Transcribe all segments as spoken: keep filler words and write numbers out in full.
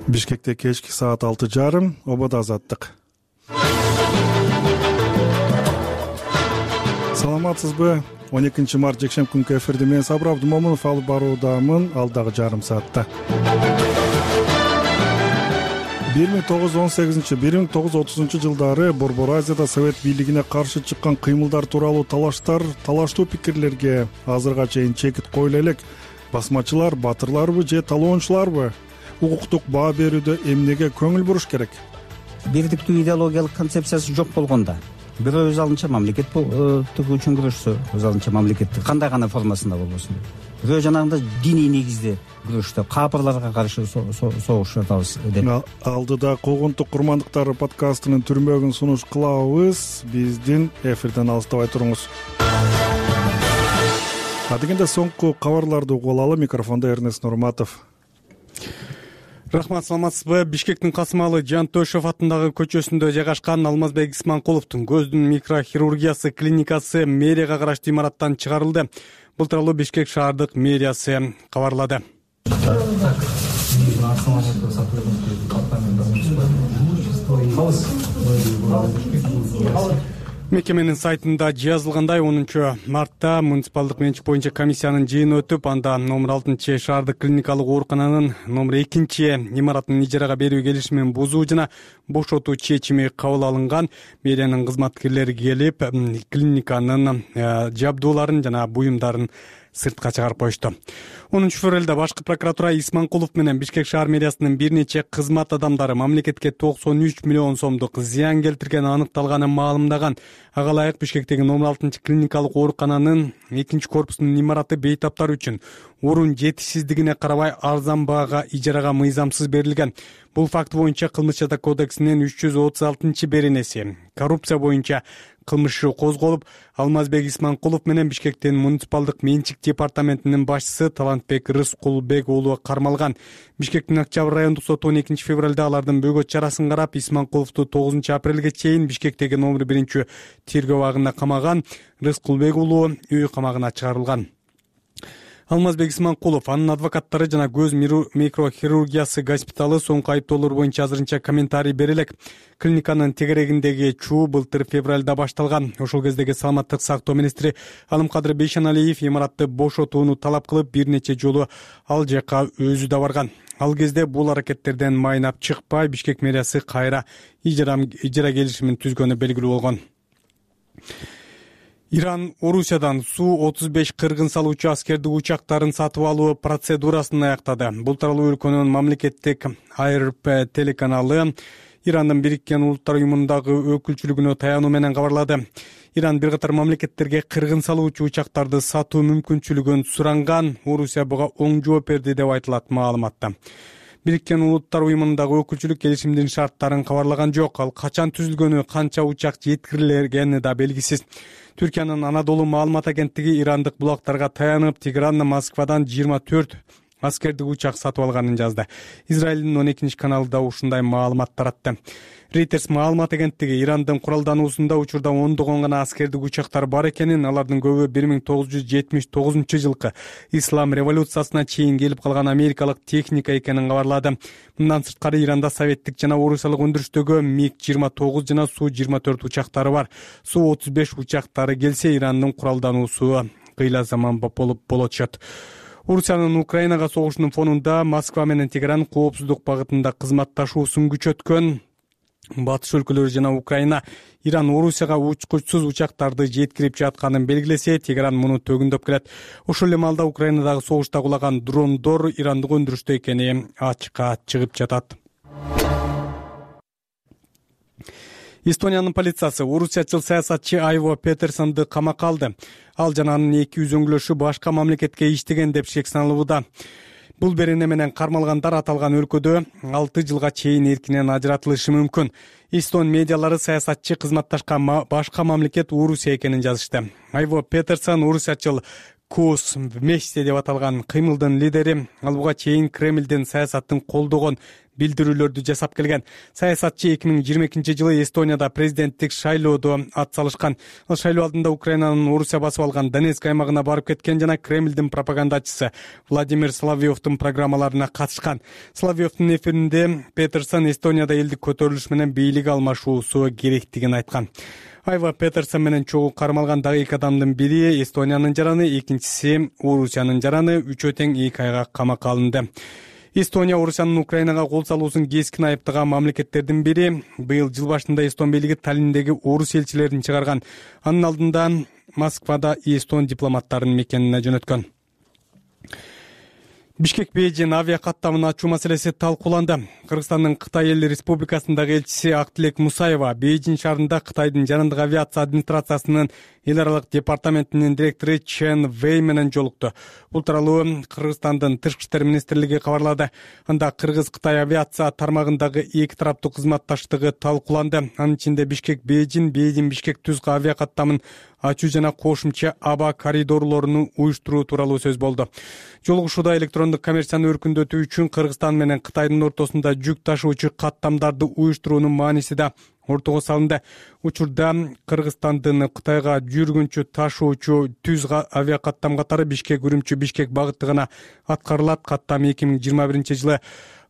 Бишкекте кечки саат алты жарым, ободо азаттык. Саламатсызбы? он экинчи март жекшемби күнкү эфирди мен Сабыр Абдумомунов алып баруудамын алдагы жарым саатта. бир миң тогуз жүз он сегизинчи — бир миң тогуз жүз отузунчу жылдары Борбор Азияда Совет бийлигине каршы чыккан кыймылдар тууралуу талаштар, талаштуу пикирлерге азырга чейин чекит коюла элек. Басмачылар батырларбы же талоончуларбы? Укуктук баа берүүдө эмнеге көңүл буруш керек? Бирдиктүү идеологиялык концепциясы жок болгондо бирөө өз алдынча мамлекет үчүн күрөшсө, өз алдынча мамлекетти кандай гана формасында болбосун, бирөө жанагындай диний негизде күрөштө капырларга каршы согуш атабыз деп. Алдыда куугунтук курмандыктары подкастынын түрмөгүн сунуш кылабыз. Биздин эфирден алыстабай туруңуз. Адегенде соңку кабарларды угуп алалы. Микрофондо Эрнест Нурматов. Рахмат, саламатсызбы? Бишкектин Касымалы Жантөшев атындагы көчөсүндө жайгашкан Алмазбек Исманкуловдун көздүн микрохирургиясы клиникасы мэрияга караштуу имараттан чыгарылды. Бул тууралуу Бишкек шаардык мэриясы кабарлады. Мекеменин сайтында жазылгандай, онунчу мартта муниципалдык менчик боюнча комиссиянын жыйыны өтүп, анда номер алтынчы шаардык клиникалык оорукананын номер экинчи имаратын ижарага берүү келишимин бузуу жана бошотуу чечими кабыл алынган. Мэриянын кызматкерлери келип, клиниканын жабдууларын жана буюмдарын сыртка чыгарып коюшту. онунчу февралда башкы прокуратура Исманкулов менен Бишкек шаар мэриясынын бир нече кызмат адамдары мамлекетке токсон үч миллион сомдук зыян келтиргени аныкталганын маалымдаган. Ага ылайык Бишкектеги номер алтынчы клиникалык оорукананын экинчи корпусунун имараты бейтаптар үчүн орун жетишсиздигине карабай арзан баага ижарага мыйзамсыз берилген. Бул факт боюнча Кылмыш жата кодексинин үч жүз отуз алтынчы беренеси коррупция боюнча кылмышы козголуп, Алмазбек Исманкулов менен Бишкектин муниципалдык менчик департаментинин башчысы Талантбек Рыскулбек уулу кармалган. Бишкектин Октябрь райондук соту он экинчи февралда алардын бөгөт чарасын карап, Исманкуловду тогузунчу апрелге чейин Бишкектеги номер биринчи тергөө абагына камаган. Рыскулбек уулу үй камагына чыгарылган. Алмазбек Исманкулов, анын адвокаттары жана көз микрохирургиясы госпиталы соңку айыптоолор боюнча азырынча комментарий бере элек. Клиниканын тегерегиндеги чуу былтыр февралда башталган. Ошол кездеги саламаттык сактоо министри Алымкадыр Бейшеналиев имаратты бошотууну талап кылып, бир нече жолу ал жака өзү да барган. Ал кезде бул аракеттерден майнап чыкпай, Бишкек мэриясы кайра ижара келишимин түзгөнү белгилүү болгон. Иран Орусиядан Су отуз беш кыргын салуучу аскердик учактарын сатып алуу процедурасын аяктады. Бул тууралуу өлкөнүн мамлекеттик Ай Эр Пэ телеканалы Ирандын Бириккен Улуттар уюмундагы өкүлчүлүгүнө таянуу менен кабарлады. Иран бир катар мамлекеттерге кыргын салуучу учактарды сатуу мүмкүнчүлүгүн суранган. Орусия буга оң жооп берди деп айтылат маалыматта. Бириккен Улуттар уюмундагы өкүлчүлүк келишимдин шарттарын кабарлаган жок. Ал качан түзүлгөнү, канча учак жеткирилгени да белгисиз. Түркиянын Анадолу маалымат агенттиги ирандык булактарга таянып, Тегерандан Москвадан жыйырма төрт аскердик учак сатып алганын жазды. Израилдин он экинчи каналы да ушундай маалымат таратты. Reuters маалымат агенттиги Ирандын куралдануусунда учурда ондогон гана аскердик учактар бар экенин, алардын көбү бир миң тогуз жүз жетимиш тогузунчу жылкы ислам революциясына чейин келип калган америкалык техника экенин кабарлады. Мындан сырткары Иранда советтик жана орусиялык өндүрүштөгү миг жыйырма тогуз жана Су жыйырма төрт учактары бар. Су отуз беш учактары келсе, Ирандын куралдануусу кыйла заман болуп болочот. Орусиянын Украинага согушунун фонунда Москва менен Тегеран коопсуздук багытында кызматташуусун күчөткөн. Батыш өлкөлөрү жана Украина Иран Орусияга учкучсуз учактарды жеткирип жатканын белгилесе, Тегеран муну төгүндөп келет. Ошол эле маалда Украинадагы согушта кулаган дрондор ирандык өндүрүштө экени ачыкка чыгып жатат. Эстониянын полициясы орусиячыл саясатчы Айво Петерсонду камакка алды. Ал жана анын эки үзөңгүлөшү башка мамлекетке иштеген деп шек саналууда. Бул берене менен кармалгандар аталган өлкөдө алты жылга чейин эркинен ажыратылышы мүмкүн. Эстон медиалары саясатчы кызматташкан башка мамлекет Орусия экенин жазышты. Айво Петерсон орусиячыл кус вместе деп аталган кыймылдын лидери. Ал буга чейин Кремлдин саясатын колдогон билдирүүлөрдү жасап келген. Саясатчы эки миң жыйырма экинчи жылы Эстонияда президенттик шайлоодо ат салышкан. Ал шайлоо алдында Украинанын Орусия басып алган Донецк аймагына барып кеткен жана Кремлдин пропагандачысы Владимир Соловьевдун программаларына катышкан. Соловьевдун эфиринде Петерсон Эстонияда элдик көтөрүлүш менен бийлик алмашуусу керектигин айткан. Айва Петерсон менен чогуу кармалган дагы эки адамдын бири Эстониянын жараны, экинчиси Орусиянын жараны үчөө тең эки айга камакка алынды. Эстония Орусиянын Украинага кол салуусун кескин айыптаган мамлекеттердин бири. Быйыл жыл башында Эстон бийлиги Таллиндеги орус элчилерин чыгарган. Анын алдында Москвада эстон дипломаттарын мекенине жөнөткөн. Бишкек-Бейжин авиа каттамын ачуу маселеси талкууланды. Кыргызстандын Кытай Эл Республикасындагы элчиси Актилек Мусаева Бейжин шаарында Кытайдын жарандык авиация администрациясынын эл аралык департаментинин директору Чен Вэй менен жолукту. Бул тууралуу Кыргызстандын Тышкы иштер министрлиги кабарлады. Анда Кыргыз-Кытай авиация тармагындагы эки тараптуу кызматташтыгы талкууланды. Анын ичинде Бишкек-Бейжин, Бейжин-Бишкек-Түз авиа каттамын ачуу жана кошумча аба коридорлорун уюштуруу тууралуу сөз болду. Жолугушууда электрондук коммерцияны өркүндөтүү үчүн Кыргызстан менен Кытайдын ортосунда жүк ташуучу каттамдарды уюштуруунун мааниси да ортого салынды. Учурда Кыргызстандын Кытайга жүргүнчү ташуучу Түз авиа каттам катары Бишкек-Үрүмчү Бишкек багытыгына аткарылат. Каттам эки миң жыйырма биринчи жылы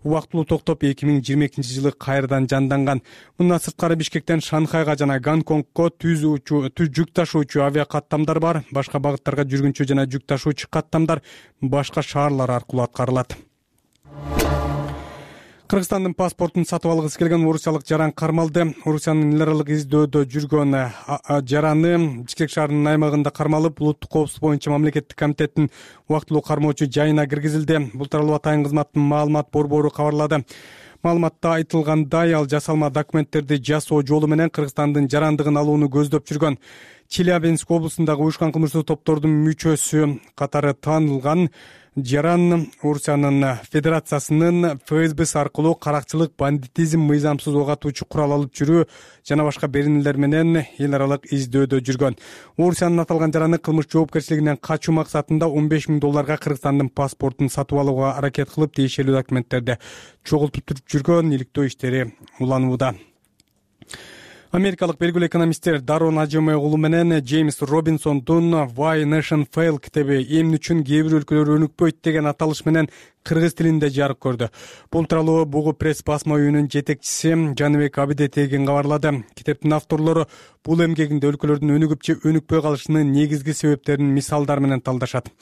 убактылуу токтоп, эки миң жыйырма экинчи жылы кайрадан жанданган. Мындан сырткары Бишкектен Шанхайга жана Гонконгго түз жүк ташуучу авиа каттамдар бар. Башка багыттарга жүргүнчү жана жүк ташуучу каттамдар башка шаарлар аркылуу аткарылат. Кыргызстандын паспортун сатып алгысы келген орусиялык жаран кармалды. Орусиянын эл аралык издөөдө жүргөн жараны Бишкек шаарынын аймагында кармалып, улуттук коопсуздук боюнча мамлекеттик комитеттин убактылуу кармоочу жайына киргизилди. Бул тууралуу Атайын кызматтын маалымат борбору кабарлады. Маалыматта айтылгандай, ал жасалма документтерди жасоо жолу менен Кыргызстандын жарандыгын алууну көздөп жүргөн. Челябинск облусундагы уюшкан кылмыштуу топтордун мүчөсү катары таанылган жаран Орусиянын Федерациясынын эф эс б аркылуу каракчылык, бандитизм, мыйзамсыз ок атуучу курал алып жүрүү жана башка беренелер менен эл аралык издөөдө жүргөн. Орусиянын аталган жараны кылмыш жоопкерчилигинен качуу максатында он беш миң долларга Кыргызстандын паспортун сатып алууга аракет кылып, тиешелүү документтерди чогултуп жүргөн. Иликтөө иштери уланууда. Америкалык белгилүү экономисттер Дарон Ажеме уулу менен Джеймс Робинсондун Why Nation Fail китеби эмне үчүн кээ бир өлкөлөр өнүкпөйт деген аталыш менен кыргыз тилинде жарык көрдү. Бул тууралуу Бугу пресс басма үйүнүн жетекчиси Жаныбек Абидетеген кабарлады. Китептин авторлору бул эмгегинде өлкөлөрдүн өнүгүп же өнүкпөй калышынын негизги себептерин мисалдар менен талдашат.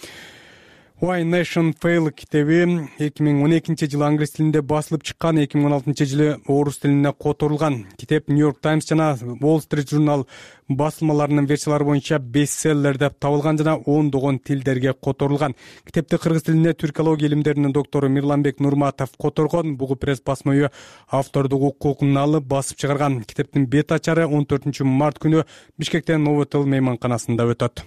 Why Nation Fail китеби эки миң он экинчи жылы англис тилинде басылып чыккан, эки миң он алтынчы жылы орус тилине которулган. Китеп Нью-Йорк Таймс жана Wall Street Journal басылмаларынын версиялары боюнча бестселлер деп табылган жана ондогон тилдерге которулган. Китепти кыргыз тилине түркология илимдеринин доктору Мирланбек Нурматов которгон. Бугу пресс басма үйү автордук укугун алып басып чыгарган. Китептин бет ачары он төртүнчү март күнү Бишкектен Новотел мейманканасында өтөт.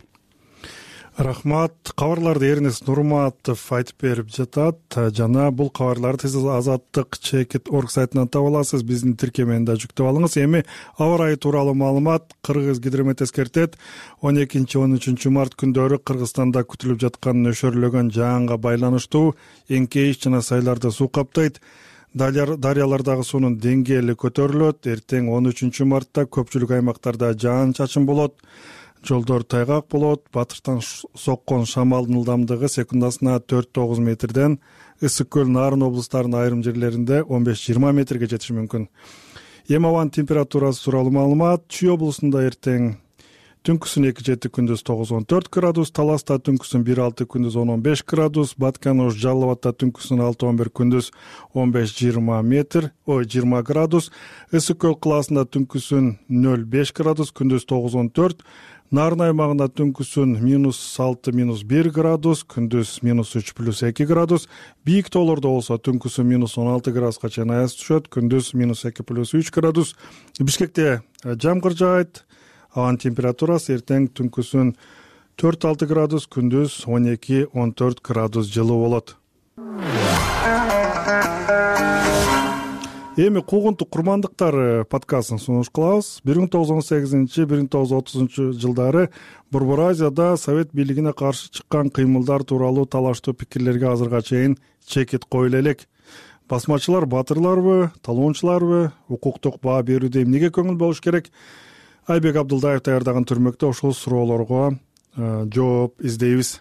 Рахмат. Кабарларды Эрнест Нурматов айтып берип жатат жана бул кабарларды сиз Азаттык чекит орг сайтынан таба аласыз. Биздин тиркемени да жүктөп алыңыз. Эми аба ырайы тууралуу маалымат. Кыргыз гидромет эскертет. он экинчи он үчүнчү март күндөрү Кыргызстанда күтүлүп жаткан нөшөрлөгөн жаанга байланыштуу эңкейиш жана сайларды суу каптайт. Дарыялардагы суунун деңгээли көтөрүлөт. Эртең он үчүнчү мартта көпчүлүк аймактарда жаан-чачын болот. Жолдор тайгак болот. Батыштан соккон шамалдын ылдамдыгы секундасына төрт тогуз метрден, Ысык көл, Нарын облустарынын айрым жерлеринде он беш жыйырма метрге жетиши мүмкүн. Эми абанын температурасы тууралуу маалымат. Чүй облусунда эртең түнкүсүн эки жети, күндүз тогуз он төрт градус, Таласта түнкүсүн бир алты, күндүз он он беш градус, Баткан-Ош, Жалал Абадта түнкүсүн алты он бир, күндүз он беш жыйырма метр, ой жыйырма градус, Ысык көл кылаасында түнкүсүн нөл беш градус, күндүз тогуз он төрт, Нарын аймагында түнкүсүн минус алты, минус бир градус, күндүз минус үч плюс эки градус, бийик тоолордо болсо түнкүсүн минус он алты градуска чейин аяз түшөт, күндүз минус эки плюс үч градус. Бишкекте жамгыр жаайт. Абанын температурасы эртең түнкүсүн төрт алты градус, күндүз он эки он төрт градус жылуу болот. Эми куугунтук курмандыктары подкастын сунуш кылабыз. бир миң тогуз жүз он сегизинчи бир миң тогуз жүз отузунчу жылдары Борбор Азияда Совет бийлигине каршы чыккан кыймылдар тууралуу талаштуу пикирлерге азырга чейин чекит коюла элек. Басмачылар баатырларбы, талоончуларбы, укуктук баа берүүдө эмнеге көңүл болуш керек? Айбек Абдылдаев даярдаган түрмөктө ушул суроолорго жооп издейбиз.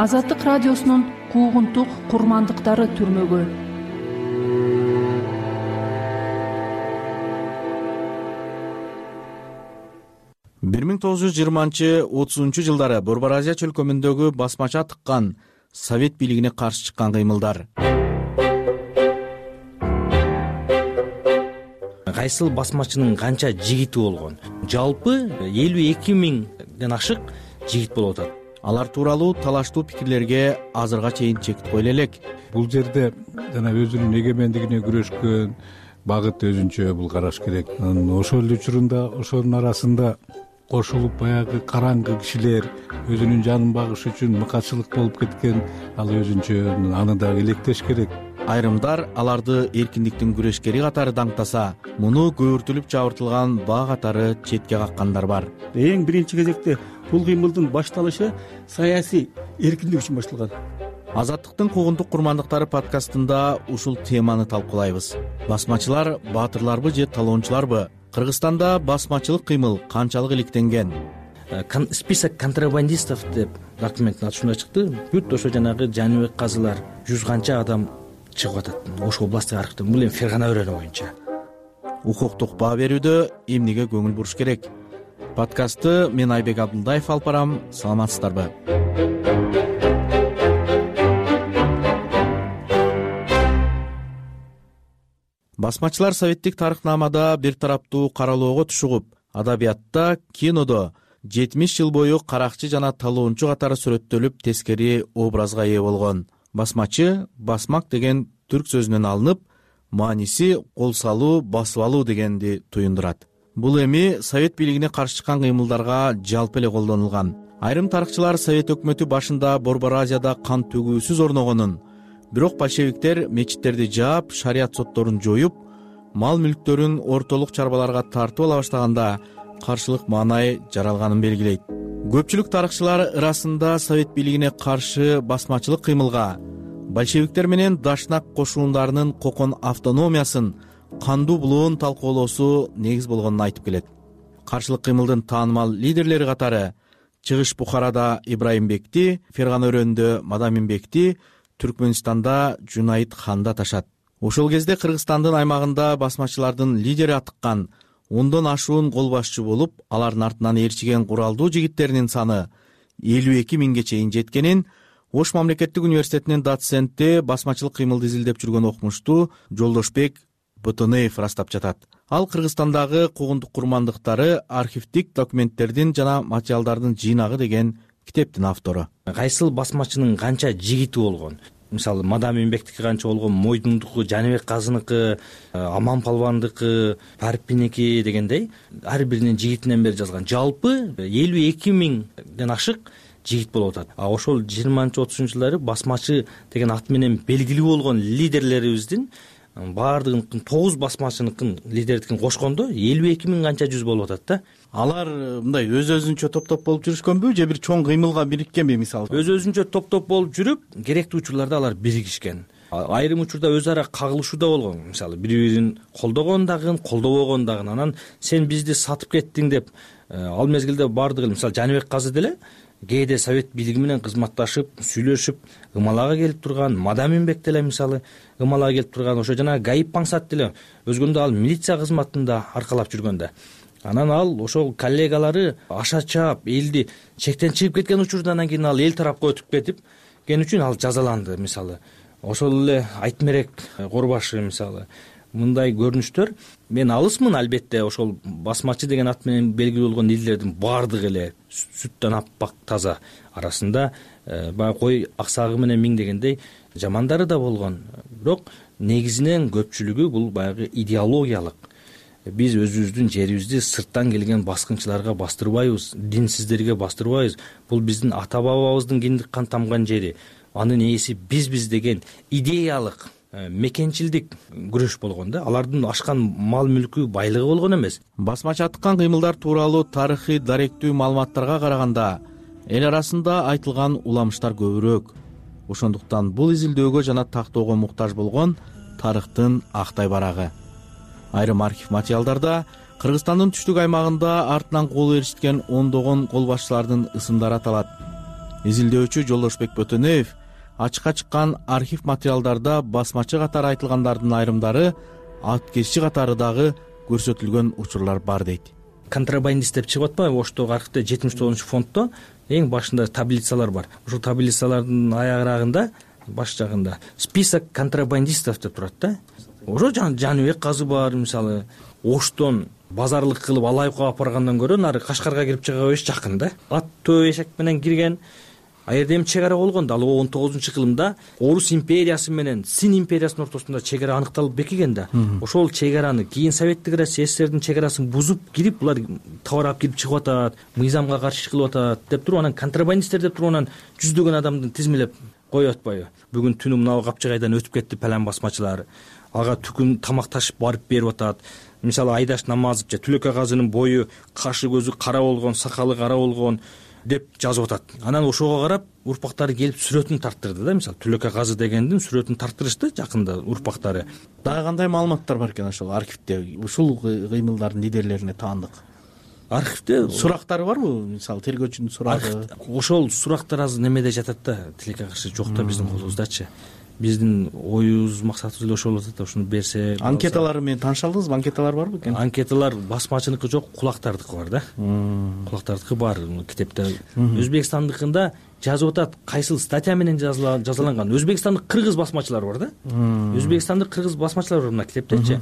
Азаттык радиосунун куугунтук курмандыктары түрмөгү. бир миң тогуз жүз жыйырманчы отузунчу жылдары Борбор Азия чөлкөмүндөгү басмача тыккан Совет бийлигине каршы чыккан кыймылдар. Кайсыл басмачынын канча жигити болгон? Жалпы элүү эки миңден ашык жигит болуп атат. Алар тууралуу талаштуу пикирлерге азырга чейин чекит коюла элек. Бул жерде жана өзүнүн эгемендигине күрөшкөн багыт өзүнчө бул караш керек. Ошол эле учурунда ошонун арасында кошулуп баягы караңгы кишилер өзүнүн жанын багыш үчүн мыкачылык болуп кеткен, ал өзүнчө аны дагы электеш керек. Айрымдар аларды эркиндиктин күрөшкери катары даңктаса, муну көөртүлүп жабыртылган баа катары четке каккандар бар. Эң биринчи кезекте бул кыймылдын башталышы саясий эркиндик үчүн башталган. Азаттыктын куугунтук курмандыктары подкастында ушул теманы талкуулайбыз. Басмачылар баатырларбы же талоончуларбы? Кыргызстанда басмачылык кыймыл канчалык иликтенген? Список контрабандистов деп документтин аты ушундай чыкты. Бүт ошо жанагы Жаныбек казылар жүз канча адам чыгып атат. Ошо областтык архивден, бул эми Фергана өрөөнү боюнча. Укуктук баа берүүдө эмнеге көңүл буруш керек? Подкастты мен Айбек Абдылдаев алып барам. Саламатсыздарбы? Басмачылар советтик тарыхнамада бир тараптуу каралоого тушугуп, адабиятта, кинодо жетимиш жыл бою каракчы жана талоончу катары сүрөттөлүп, тескери образга ээ болгон. Басмачы, басмак деген түрк сөзүнөн алынып, мааниси кол салуу, басып алуу дегенди туюндурат. Бул эми Совет бийлигине каршы чыккан кыймылдарга жалпы эле колдонулган. Айрым тарыхчылар Совет өкмөтү башында Борбор Азияда кан төгүүсүз орногонун, бирок большевиктер мечиттерди жаап, шарият сотторун жоюп, мал мүлктөрүн ортолук чарбаларга тартып ала баштаганда каршылык маанай жаралганын белгилейт. Көпчүлүк тарыхчылар арасында Совет бийлигине каршы басмачылык кыймылга большевиктер менен Дашнак кошундарынын кокон автономиясын, кандуу булуун талкуулоосу негиз болгонун айтып келет. Каршылык кыймылдын таанымал лидерлери катары Чыгыш Бухарада Ибраимбекти, Фергана өрөөнүндө Мадаминбекти, Түркмөнстанда Жунайт ханды аташат. Ошол кезде Кыргызстандын аймагында басмачылардын лидери атыккан ондон ашуун кол башчы болуп, алардын артынан ээрчиген куралдуу жигиттеринин саны элүү эки миңге чейин жеткенин Ош мамлекеттик университетинин доценти, басмачылык кыймылды изилдеп жүргөн окумуштуу Жолдошбек Ботонеев растап жатат. Ал Кыргызстандагы куугунтук курмандыктары архивдик документтердин жана материалдардын жыйнагы деген китептин автору. Кайсыл басмачынын канча жигити болгон? Мисалы, Мадаминбектики канча болгон, Мойдундуку, Жаныбек казыныкы, Аман Палвандыкы, Парпиники дегендей ар биринин жигитинен бери жазган. Жалпы элүү эки миңден ашык жигит болуп атат. А ошол жыйырманчы отузунчу жылдары басмачы деген ат менен белгилүү болгон лидерлерибиздин баардыгын тогуз басмачыныкын лидердикин кошкондо элүү эки миң канча жүз болуп атат да. Алар мындай өз-өзүнчө топ-топ болуп жүрүшкөнбү же бир чоң кыймылга бириккенби мисалы? Өз-өзүнчө топ-топ болуп жүрүп, керектүү учурларда алар биригишкен. Айрым учурда өз ара кагылышуу да болгон. Мисалы, бири-бирин колдогон дагы, колдобогон дагы. Анан сен бизди сатып кеттиң деп, ал мезгилде баардыгы, мисалы, Жаныбек казы деле кээде Совет бийлиги менен кызматташып, сүйлөшүп, ымалага келип турган, Мадаминбек деле мисалы ымалага келип турган, ошо жана Гайып Паңсат деле өзгөндө ал милиция кызматында аркалап жүргөн да. Анан ал ошол коллегалары аша чаап, элди чектен чыгып кеткен учурдан кийин ал эл тарапка өтүп кетип кен үчүн ал жазаланды мисалы. Ошол эле Айтмерек Корбашы мисалы. Мындай көрүнүштөр мен алысмын, албетте ошол басмачы деген ат менен белгилүү болгон лидерлердин баардыгы эле сүттөн аппак таза, арасында баягы кой аксагы менен миң дегендей жамандары да болгон. Бирок негизинен көпчүлүгү бул баягы идеологиялык биз өзүбүздүн жерибизди сырттан келген баскынчыларга бастырбайбыз, динсиздерге бастырбайбыз. Бул биздин ата бабабыздын киндик кан тамган жери. Анын ээси бизбиз деген идеялык мекенчилдик күрөш болгон да. Алардын ашкан мал мүлкү байлыгы болгон эмес. Басмачы аткан кыймылдар тууралуу тарыхый даректүү маалыматтарга караганда эл арасында айтылган уламыштар көбүрөөк. Ошондуктан бул изилдөөгө жана тактоого муктаж болгон тарыхтын актай барагы. Айрым архив материалдарда Кыргызстандын түштүк аймагында артынан кол ээрчиткен ондогон кол башчылардын ысымдары аталат. Изилдөөчү Жолдошбек Бөтөнөев ачыкка чыккан архив материалдарда басмачы катары айтылгандардын айрымдары аткезчи катары дагы көрсөтүлгөн учурлар бар дейт. Контрабандист деп чыгып атпайбы Оштогу архивде жетимиш тогузунчу фонддо эң башында таблицалар бар. Ушул таблицалардын аягырагында баш жагында список контрабандистов деп турат да. Ошо Жаныбек казы бар, мисалы Оштон базарлык кылып Алайыкка алып баргандан көрө нары Кашкарга кирип чыга бериш жакын да. Ат төө эшек менен кирген. А жерде эми чек ара болгон да. Ал он тогузунчу кылымда Орус империясы менен Син империясынын ортосунда чек ара аныкталып бекиген да. Ошол чек араны кийин Советтик Россия СССРдин чек арасын бузуп кирип, булар товар алып кирип чыгып атат, мыйзамга каршы иш кылып атат деп туруп, анан контрабандисттер деп туруп анан жүздөгөн адамды тизмелеп коюп атпайбы. Бүгүн түнү мына Капчыгайдан өтүп кетти палан басмачылар. Ага түкүн тамак ташып барып берип атат. Мисалы Айдаш Намазов же Түлөкө казынын бою, кашы көзү кара болгон, сакалы кара болгон деп жазып атат. Анан ошого карап урпактары келип сүрөтүн тарттырды да. Мисалы Түлөкө казы дегендин сүрөтүн тарттырышты жакында урпактары. Дагы кандай маалыматтар бар экен ошол архивде? Ушул кыймылдардын лидерлерине таандык. Архивде сурактары барбы? Мисалы тергөөчүнүн сурагы. Ошол сурактар азыр немеде жатат да, тилекке каршы жок да биздин колубуздачы. Биздин оюбуз, максатыбыз эле ошол атат. Ошону берсе. Анкеталары менен тааныша алдыңызбы? Анкеталар барбы экен? Анкеталар басмачыныкы жок, кулактардыкы бар да. Кулактардыкы бар китепте. Өзбекстандыкында жазып атат, кайсыл статья менен жазаланган. Өзбекстандык кыргыз басмачылар бар да. Өзбекстандык кыргыз басмачылар бар мына китептечи.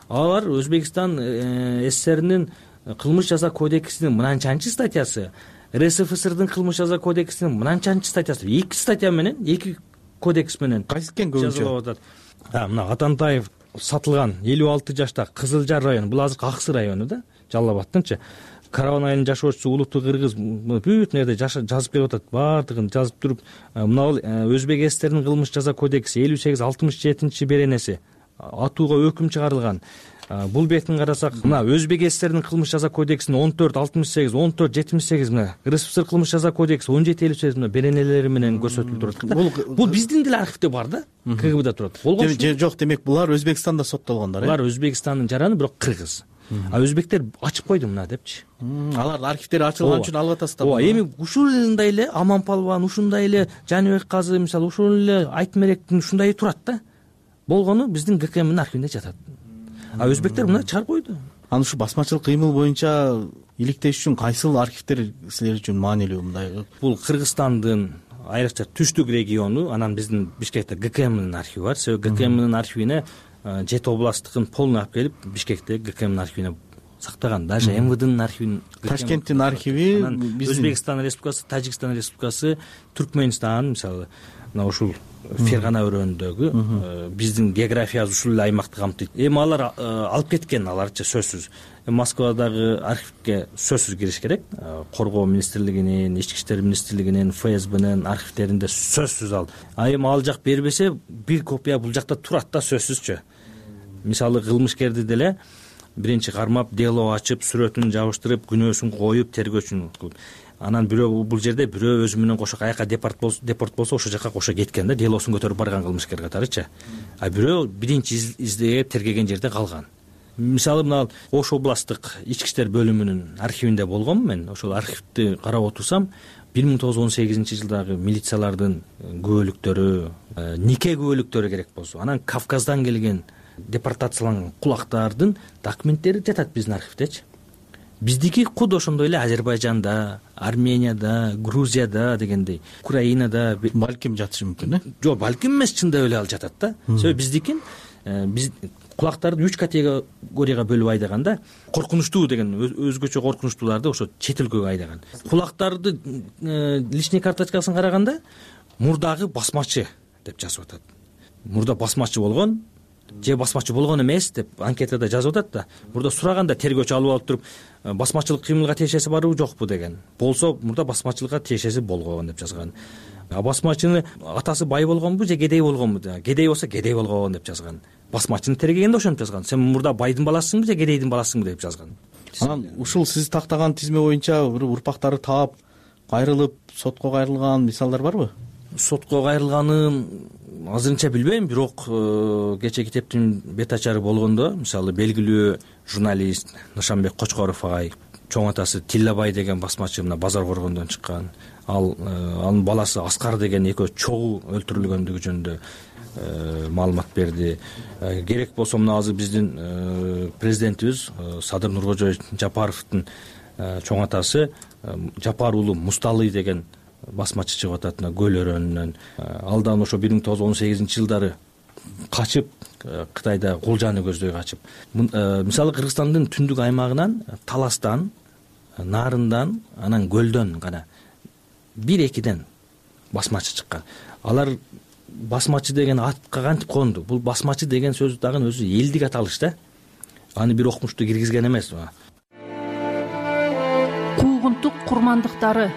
Алар Өзбекстан СССРнин кылмыш жаза кодексинин мынанчанчы статьясы, РСФСРдин кылмыш жаза кодексинин мынанчанчы статьясы, эки статья менен, эки кодекс менен кайсы экен көбүнчө атат. Мына Атантаев сатылган элүү алты жашта Кызылжар району, бул азыр Аксы району да, Жалал Абадтынчы. Караван айылынын жашоочусу Улуттуу кыргыз бүт нерде жазып берип атат, баардыгын жазып туруп, мына Өзбек СССРнин кылмыш жаза кодекси элүү сегиз алтымыш жетинчи беренеси атууга өкүм чыгарылган. Бул бетин карасак, мына Өзбек СССРнин кылмыш жаза кодексинин он төрт алтымыш сегиз, он төрт жетимиш сегиз, мына РСФСР кылмыш жаза кодекси он жети элүү сегиз мына беренелери менен көрсөтүлүп турат. Бул биздин деле архивде бар да, КГБда турат. Болгон жок, демек булар Өзбекстанда соттолгондор, э? Булар Өзбекстандын жараны, бирок кыргыз. А өзбектер ачып койду мына депчи. Алар архивдери ачылган үчүн алып атасыздар. Ооба, эми ушундай эле Аман Палван, ушундай эле Жаныбек казы, мисалы ушул эле Айтмеректин ушундай турат да. Болгону биздин ГКМдин архивинде жатат. А өзбектер мына чыгарып койду. Анан ушу басмачылык кыймыл боюнча иликтеш үчүн кайсыл архивдер силер үчүн маанилүү мындай? Бул Кыргызстандын айрыкча түштүк региону, анан биздин Бишкекте ГКМдин архиви бар. Себеби ГКМдин архивине жети областтыкын полный алып келип Бишкекте ГКМдин архивине сактаган. Даже МВДнын архивин, Ташкенттин архиви, Өзбекстан Республикасы, Тажикстан Республикасы, Түркмөнстан, мисалы мына ушул Фергана өрөөнүндөгү биздин географиябыз ушул эле аймакты камтыйт. Эми алар алып кеткен, аларчы сөзсүз. Москвадагы архивге сөзсүз кириш керек. Коргоо министрлигинин, Ички иштер министрлигинин, ФСБнин архивдеринде сөзсүз ал. А эми ал жак бербесе, бир копия бул жакта турат да сөзсүзчү. Мисалы кылмышкерди деле биринчи кармап, дело ачып, сүрөтүн жабыштырып, күнөөсүн коюп, тергөөчүн кылып. Анан бирөө бул жерде бирөө өзү менен кошо каяка депорт болсо, депорт болсо ошол жака кошо кеткен да, делосун көтөрүп барган кылмышкер катарычы. А бирөө биринчи издее тергеген жерде калган. Мисалы мына Ош областтык ички иштер бөлүмүнүн архивинде болгом мен. Ошол архивди карап отурсам, бир миң тогуз жүз он сегизинчи жылдагы милициялардын күбөлүктөрү, нике күбөлүктөрү керек болсо, анан Кавказдан келген депортацияланган кулактардын документтери жатат биздин архивдечи. Биздики куд ошондой эле Азербайжанда, Арменияда, Грузияда дегендей, Украинада балким жатышы мүмкүн, э? Жок, балким эмес, чындап эле ал жатат да. Себеби биздикин биз кулактарды үч категорияга бөлүп айдаганда, коркунучтуу деген өзгөчө коркунучтууларды ошо чет өлкөгө айдаган. Кулактарды личный карточкасын караганда мурдагы басмачы деп жазып атат. Мурда басмачы болгон, же басмачы болгон эмес деп анкетада жазып атат да. Мурда сураганда тергөөчү алып алып туруп басмачылык кыймылга тиешеси барбы жокпу деген. Болсо мурда басмачылыкка тиешеси болгон деп жазган. А басмачыны атасы бай болгонбу же кедей болгонбу? Кедей болсо кедей болгон деп жазган. Басмачыны тергегенде ошентип жазган. Сен мурда байдын баласысыңбы же кедейдин баласысыңбы деп жазган. Анан ушул сиз тактаган тизме боюнча урпактары таап кайрылып сотко кайрылган мисалдар барбы? Сотко кайрылганын азырынча билбейм, бирок кечээ китептин бет ачары болгондо, мисалы белгилүү журналист Нышанбек Кочкоров агай, чоң атасы Тиллабай деген басмачы мына Базар Коргондон чыккан, ал анын баласы Аскар деген экөө чогуу өлтүрүлгөндүгү жөнүндө маалымат берди. Керек болсо мына азыр биздин президентибиз Садыр Нуркожоевич Жапаровдун чоң атасы Жапар уулу Мусталый деген басмачы чыгып атат мына Көл өрөөнүнөн. Алдан ошо бир миң тогуз жүз он сегизинчи жылдары качып Кытайда кулжаны көздөй качып. Мисалы Кыргызстандын түндүк аймагынан Таластан, Нарындан, анан Көлдөн гана бир экиден басмачы чыккан. Алар басмачы деген атка кантип конду? Бул басмачы деген сөз дагы өзү элдик аталыш да. Аны бир окумушту киргизген эмес. Куугунтук курмандыктары.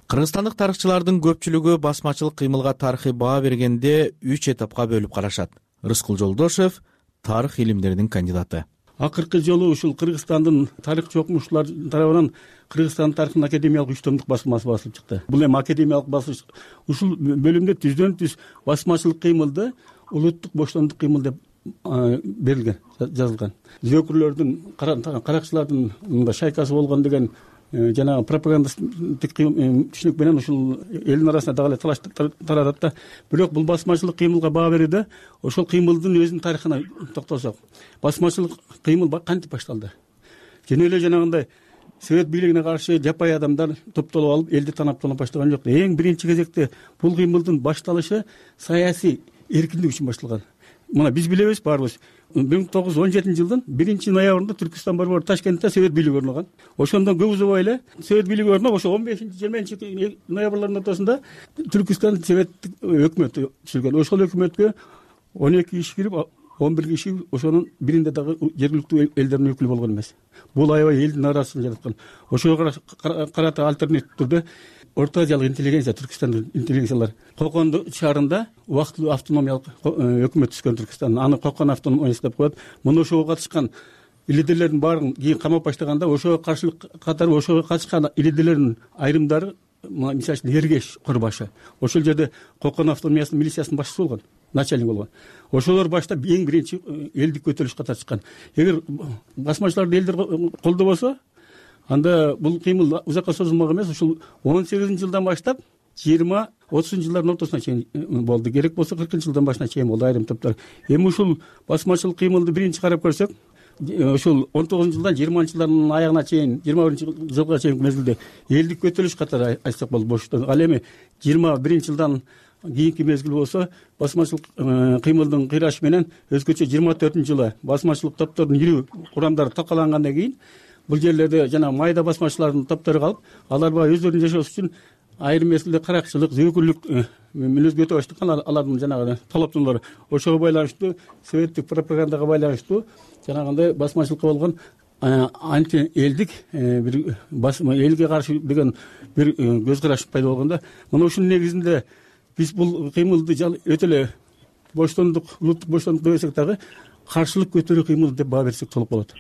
Кыргызстандык тарыхчылардын көпчүлүгү басмачылык кыймылга тарыхый баа бергенде үч этапка бөлүп карашат. Рыскул Жолдошев тарых илимдеринин кандидаты. Акыркы жолу ушул Кыргызстандын тарыхчы окумуштуулар тарабынан Кыргызстан тарыхынын академиялык үч томдук басмасы басылып чыкты. Бул эми академиялык басылыш. Ушул бөлүмдө түздөн түз басмачылык кыймылды улуттук боштондук кыймыл деп берилген, жазылган. Зөөкүрлөрдүн, каракчылардын мында шайкасы болгон деген жанагы пропагандасттык түшүнүк менен ушул элдин арасында дагы эле талаш таратат да. Бирок бул басмачылык кыймылга баа берүүдө ошол кыймылдын өзүнүн тарыхына токтолсок, басмачылык кыймыл кантип башталды? Жөн эле жанагындай Совет бийлигине каршы жапай адамдар топтолуп алып элди танап тонап баштаган жок. Эң биринчи кезекте бул кыймылдын башталышы саясий эркиндик үчүн башталган. Мына биз билебиз баарыбыз. бир миң тогуз жүз он жетинчи жылдын биринчи ноябрында Түркүстан борбору Ташкентте Совет бийлиги орногон. Ошондон көп узабай эле Совет бийлиги орноп, ошо он бешинчи жыйырманчы ноябрлардын ортосунда Түркүстан советтик өкмөтү түзүлгөн. Ошол өкмөткө он эки киши кирип, он бир киши ошонун биринде дагы жергиликтүү элдердин өкүлү болгон эмес. Бул аябай элдин арасын жараткан. Ошого карата альтернатив түрдө Орто Азиялык интеллигенция, Түркүстандын интеллигенциялар Кокон шаарында убактылуу автономиялык өкмөт түзгөн Түркүстан. Аны Кокон автономиясы деп коет. Муну ошого катышкан лидерлердин баарын кийин камап баштаганда, ошого каршылык катары ошого катышкан лидерлердин айрымдары, мисалы үчүн Эргеш Курбашы, ошол жерде Кокон автономиясынын милициясынын башчысы болгон, начальник болгон. Ошолор башта эң биринчи элдик көтөрүлүшкө катышкан. Эгер басмачыларды элдер колдобосо, анда бул кыймыл узакка созулмак эмес. Ушул он сегизинчи жылдан баштап жыйырма отузунчу жылдардын ортосуна чейин болду. Керек болсо кыркынчы жылдан башына чейин болду айрым топтор. Эми ушул басмачылык кыймылды биринчи карап көрсөк, ушул он тогузунчу жылдан жыйырманчы жылдардын аягына чейин, жыйырма биринчи жылга чейин мезгилде элдик көтөрүлүш катары айтсак болот боштон. Ал эми жыйырма биринчи жылдан кийинки мезгил болсо басмачылык кыймылдын кыйрашы менен өзгөчө жыйырма төртүнчү жылы басмачылык топтордун ирүү курамдары таркалангандан кийин бул жерлерде жана майда басмачылардын топтору калып, алар баягы өздөрүнүн жашоосу үчүн айрым мезгилде каракчылык, зөөкүрлүк мүнөзгө өтө баштаган. Алардын жанагы талаптуулары ошого байланыштуу, советтик пропагандага байланыштуу жанагындай басмачылыкка болгон анти элдик бир элге каршы деген бир көз караш пайда болгондо, мына ушунун негизинде биз бул кыймылды өтө эле боштондук, улуттук боштондук десек дагы каршылык көтөрүү кыймыл деп баа берсек толук болот.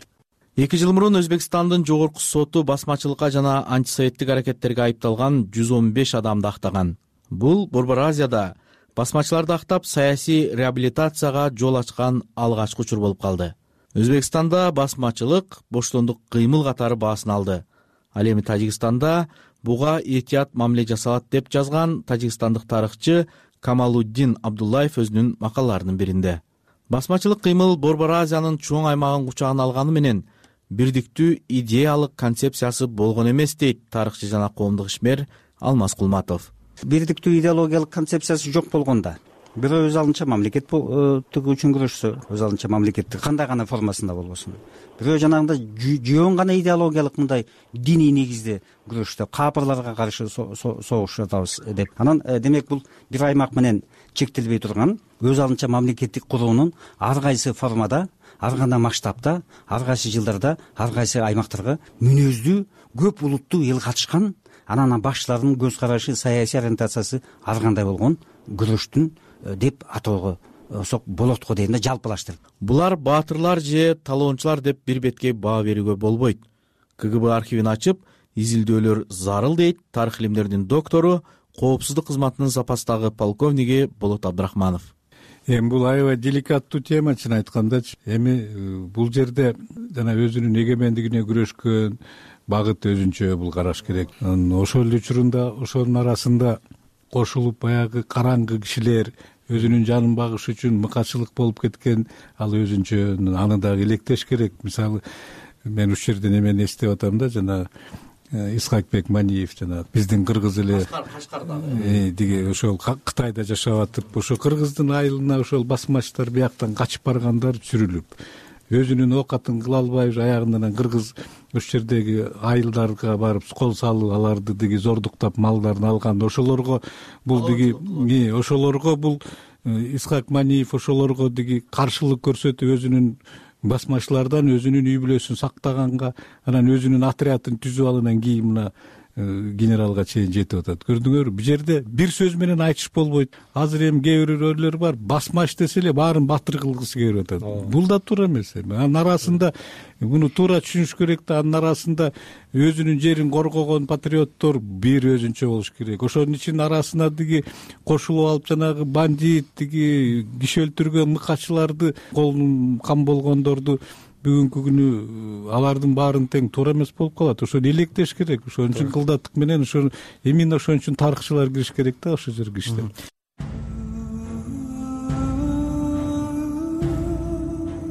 Эки жыл мурун Өзбекстандын жогорку соту басмачылыкка жана антисоветтик аракеттерге айыпталган жүз он беш адамды актаган. Бул Борбор Азияда басмачыларды актап саясий реабилитацияга жол ачкан алгачкы учур болуп калды. Өзбекстанда басмачылык боштондук кыймыл катары баасын алды. Ал эми Тажикстанда буга этият мамиле жасалат деп жазган тажикстандык тарыхчы Камалуддин Абдуллаев өзүнүн макалаларынын биринде. Басмачылык кыймыл Борбор Азиянын чоң аймагын кучагына алганы менен бирдиктүү идеялык концепциясы болгон эмес дейт тарыхчы жана коомдук ишмер Алмаз Кулматов. Бирдиктүү идеологиялык концепциясы жок болгондо бирөө өз алдынча мамлекет тигүү үчүн күрөшсө, өз алдынча мамлекеттик кандай гана формасында болбосун, бирөө жанагындай жөн гана идеологиялык мындай диний негизде күрөштө капырларга каршы согуш жатабыз деп, анан демек бул бир аймак менен чектелбей турган өз алдынча мамлекеттик куруунун ар кайсы формада, ар кандай масштабта, ар кайсы жылдарда, ар кайсы аймактарга мүнөздүү көп улуттуу эл катышкан, анан башчылардын көз карашы, саясий ориентациясы ар кандай болгон күрөштүн деп атоого болот го дейм да, жалпылаштырып. Булар баатырлар же талоончулар деп бир бетке баа берүүгө болбойт. КГБ архивин ачып изилдөөлөр зарыл дейт тарых илимдеринин доктору, коопсуздук кызматынын запастагы полковниги Болот Абдрахманов. Эми бул аябай деликаттуу тема, чын айткандачы. Эми бул жерде жана өзүнүн эгемендигине күрөшкөн багыт өзүнчө бул караш керек. Ошол эле учурунда ошонун арасында кошулуп баягы караңгы кишилер өзүнүн жанын багыш үчүн мыкачылык болуп кеткен, ал өзүнчө, аны дагы электеш керек. Мисалы, мен ушул жерден эмени эстеп атам да, жана Исхакбек Маниев, жана биздин кыргыз эле диги ошол Кытайда жашап атып, ошо кыргыздын айылына ошол басмачтар бияктан качып баргандар сүрүлүп, өзүнүн оокатын кыла албай аягынан кыргыз ушул жердеги айылдарга барып кол салып, аларды диги зордуктап малдарын алган. Ошолорго бул диги ошолорго бул Исхак Маниев ошолорго диги каршылык көрсөтүп, өзүнүн басмачылардан өзүнүн үй бүлөсүн сактаганга, анан өзүнүн отрядын түзүп алгандан кийин мына генералга чейин жетип атат. Көрдүңөрбү, бул жерде бир сөз менен айтыш болбойт. Азыр эми кээ бирөөлөр бар, басмач десе эле баарын батыр кылгысы келип атат. Бул да туура эмес. Анын арасында муну туура түшүнүш керек да, анын арасында өзүнүн жерин коргогон патриоттор бир өзүнчө болуш керек. Ошонун ичинин арасына диги кошулуп алып жанагы бандит, диги киши өлтүргөн мыкачыларды, колун кам болгондорду бүгүнкү күнү алардын баарын тең туура эмес болуп калат. Ошону электеш керек. Ошон үчүн кылдаттык менен ошо эмне ошон үчүн тарыхчылар кириш керек да ошол жерге иштеп.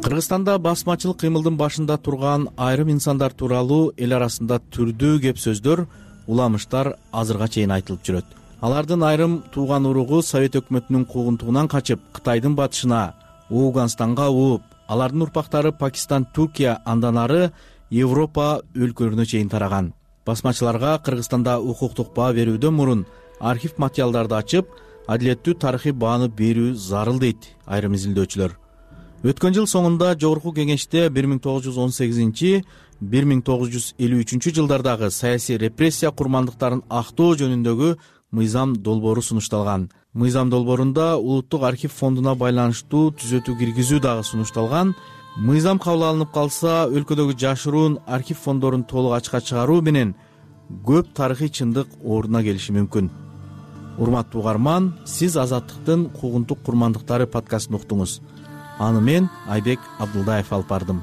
Кыргызстанда басмачылык кыймылдын башында турган айрым инсандар тууралуу эл арасында түрдүү кеп сөздөр, уламыштар азырга чейин айтылып жүрөт. Алардын айрым тууган уругу Совет өкмөтүнүн куугунтугунан качып, Кытайдын батышына, Ооганстанга ууп, алардын урпактары Пакистан, Туркия, андан ары Европа өлкөлөрүнө чейин тараган. Басмачыларга Кыргызстанда укуктук баа берүүдөн мурун архив материалдарды ачып, адилеттүү тарыхый бааны берүү зарыл дейт айрым изилдөөчүлөр. Өткөн жыл соңунда Жогорку Кеңеште бир миң тогуз жүз он сегизинчи — бир миң тогуз жүз элүү үчүнчү жылдардагы саясий репрессия курмандыктарын актоо жөнүндөгү мыйзам долбоору сунушталган. Мыйзам долбоорунда Улуттук архив фондуна байланыштуу түзөтүү киргизүү дагы сунушталган. Мыйзам кабыл алынып калса, өлкөдөгү жашыруун архив фондорун толук ачыкка чыгаруу менен көп тарыхый чындык ордуна келиши мүмкүн. Урматтуу угарман, сиз Азаттыктын куугунтук курмандыктары подкастын уктуңуз. Аны мен Айбек Абдулдаев алып бардым.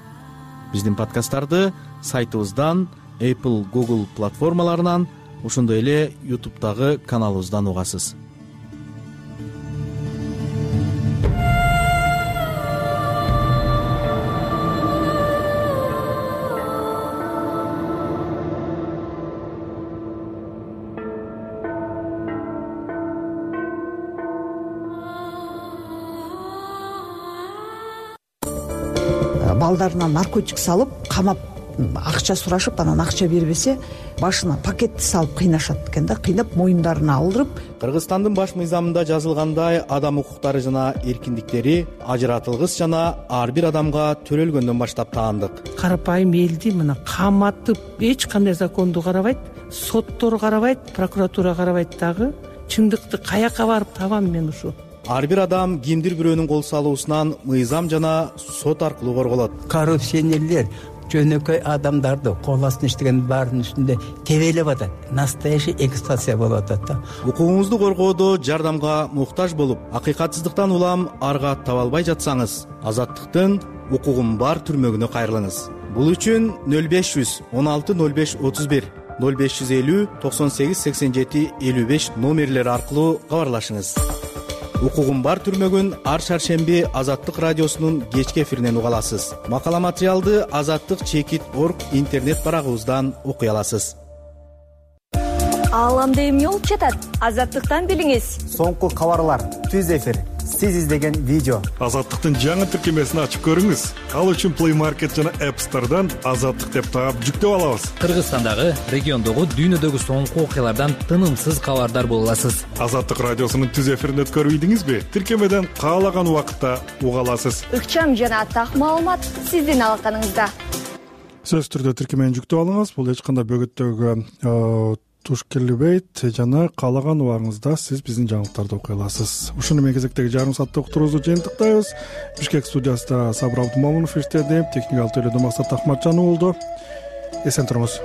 Биздин подкасттарды сайтыбыздан, Apple, Google платформаларынан, ошондой эле YouTube'дагы каналыбыздан угасыз. Балдарына наркотик салып, камап, акча сурашып, анан акча бербесе, башына пакетти салып кыйнашат экен да, кыйнап моюндарына алдырып. Кыргызстандын баш мыйзамында жазылгандай, адам укуктары жана эркиндиктери ажыратылгыс жана ар бир адамга төрөлгөндөн баштап таандык. Карапайым элди мына каматып, эч кандай законду карабайт, соттор карабайт, прокуратура карабайт дагы. Чындыкты каяка барып табам мен ушу? Ар бир адам кимдир бирөөнүн кол салуусунан мыйзам жана сот аркылуу корголот. Коррупционерлер жөнөкөй адамдарды кол астына иштеген баарынын үстүндө тебелеп атат. Настоящий эксплуатация болуп атат да. Укугуңузду коргоодо жардамга муктаж болуп, акыйкатсыздыктан улам арга таба албай жатсаңыз, Азаттыктын укугум бар түрмөгүнө кайрылыңыз. Бул үчүн нөл беш жүз он алты нөл беш отуз бир, нөл беш жүз элүү токсон сегиз сексен жети элүү беш номерлери аркылуу кабарлашыңыз. Укугум бар түрмөгүн ар шаршемби Азаттык радиосунун кечки эфиринен уга аласыз. Макала материалды азаттык чекит точка орг интернет барагыбыздан окуй аласыз. Ааламда эмне болуп жатат? Азаттыктан билиңиз. Соңку кабарлар, түз эфир, сиз издеген видео. Азаттыктын жаңы тиркемесин ачып көрүңүз. Ал үчүн Play Market жана App Store'дан Азаттык деп таап жүктөп алабыз. Кыргызстандагы, региондогу, дүйнөдөгү соңку окуялардан тынымсыз кабардар боло аласыз. Азаттык радиосунун түз эфирин өткөрбөйдүңүзбү? Тиркемеден каалаган убакытта уга аласыз. Ыкчам жана так маалымат сиздин алаканыңызда. Сөзсүз түрдө тиркемени жүктөп алыңыз. Бул эч кандай бөгөттөгү туш келбейт жана каалаган убагыңызда сиз биздин жаңылыктарды окуй аласыз. Ушуну менен кезектеги жарым сааттык уктуруубузду жыйынтыктайбыз. Бишкек студиясында Сабыр Абдумомунов иштеди, техникалык төлөдө Максат Акматжанов болду. Эсен туруңуз.